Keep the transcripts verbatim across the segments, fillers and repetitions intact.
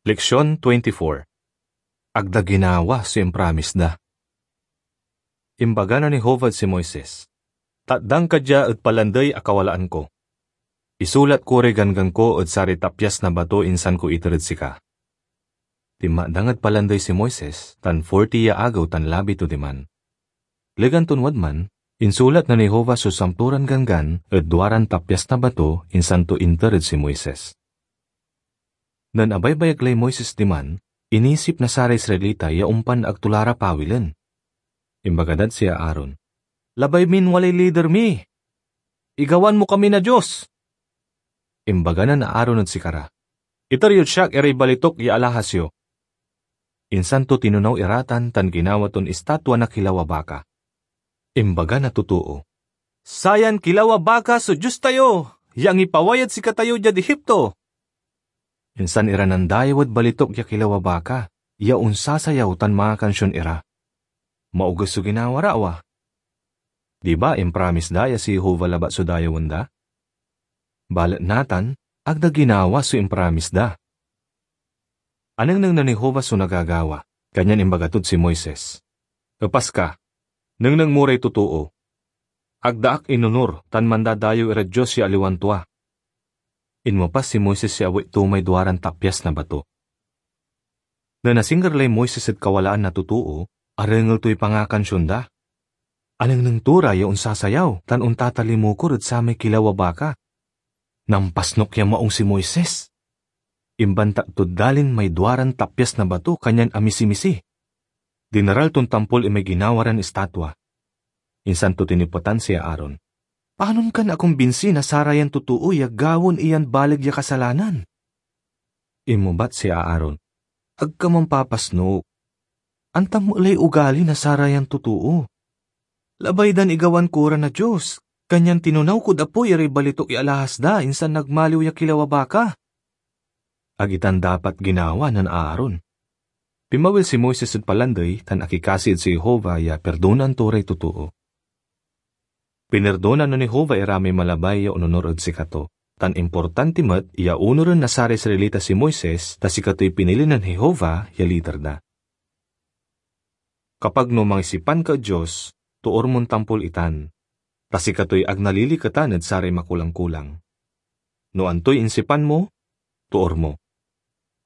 Leksion twenty-four. Agda ginawa so impromise da. Imbaga nen Jehovah ed si Moises, "Tatdang ka dia ed palandey a kawalaan ko. Isulat ko ray ganggan ko ed saray tapyas na bato insan ko iter ed sika." Tinmakdang ed palandey si Moises, tan forty ya agew tan labi to diman. Legan ton wadman, insulat nen Jehovah so santoran ganggan ed duaran tapyas na bato insan to inter ed si Moises. Nen abaybayag lay Moises diman, inisip na saray Israelita ya ompan ag to la ra pawilen. Imbaga dad si Aaron, "Labay min walay lider mi! Igawan mo kami na Dios!" Imbaga nen Aaron ed sikara, "Iter yod siak iray balitok ya alahas yo." Insan to tinonaw iratan tan ginawa ton istatwa na kilaw a baka. Imbaga na totoo, "Sayan kilaw a baka so Dios tayo, ya angipaway ed sikatayo diad Egipto!" Insan ira nandayew ed balitok ya kilaw a baka, ya onsasayaw tan mangakansion ira. Maoges so ginawa ra, awa? Di ba impromise da ya si Jehovah labat so dayewen da? Balet natan, agda ginawa so impromise da. Anengneng nen Jehovah so nagagawa, kanyan imbaga tod si Moises, "Epas ka, nengneng mo ray totoo. Agda ak inonor tan mandadayew irad dios ya aliwan tua." Inmepas si Moises ya awit to may duaran tapyas na bato. Nen asingger lay Moises ed kawalaan na totoo, arengel toy pangakansion da. Anengneng to ra ya onsasayaw tan ontatalimukor ed samay kilaw a baka. Nampasnok ya maong si Moises. Imbantak tod dalin may duaran tapyas na bato kanyan amisimisi. Dineral ton tampol imay ginawa ran istatwa. Insan to tinepetan si Aaron, "Panon kan akumbinsi na sarayan totoo ya gawaen iyan baleg ya kasalanan?" Inmebat si Aaron, "Ag ka mampapasnok. Antam met lay ugali na sarayan totoo. Labay dan igawan ko ra na Dios, kanyan tinonaw kod apoy iray balitok ya alahas da insan nagmaliw ya kilaw a baka." Ag itan dapat ginawa nen Aaron. Pinmawil si Moises ed palandey tan akikasi ed si Jehovah ya pirdonan to ray totoo. Pinirdonan nen Jehovah ira may malabay ya ononor ed sikato, tan importanti met ya onoren na saray Israelita si Moises, ta sikatoy pinili nen Jehovah ya lider da. Kapag no mangisipan ka ed Dios, toor mon tampol itan, ta sikatoy ag naliliketan ed saray makulang-kulang. No antoy insipan mo, toor mo.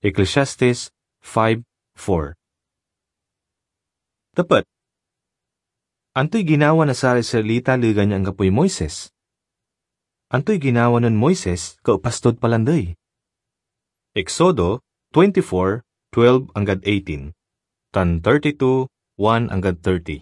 Ecclesiastes five four. Tepet. Antoy ginawa na saray Israelita legan ya anggapoy Moises? Antoy ginawa nen Moises kaepas tod palandey? Exodo twenty-four twelve anggad eighteen, tan thirty-two one anggad thirty.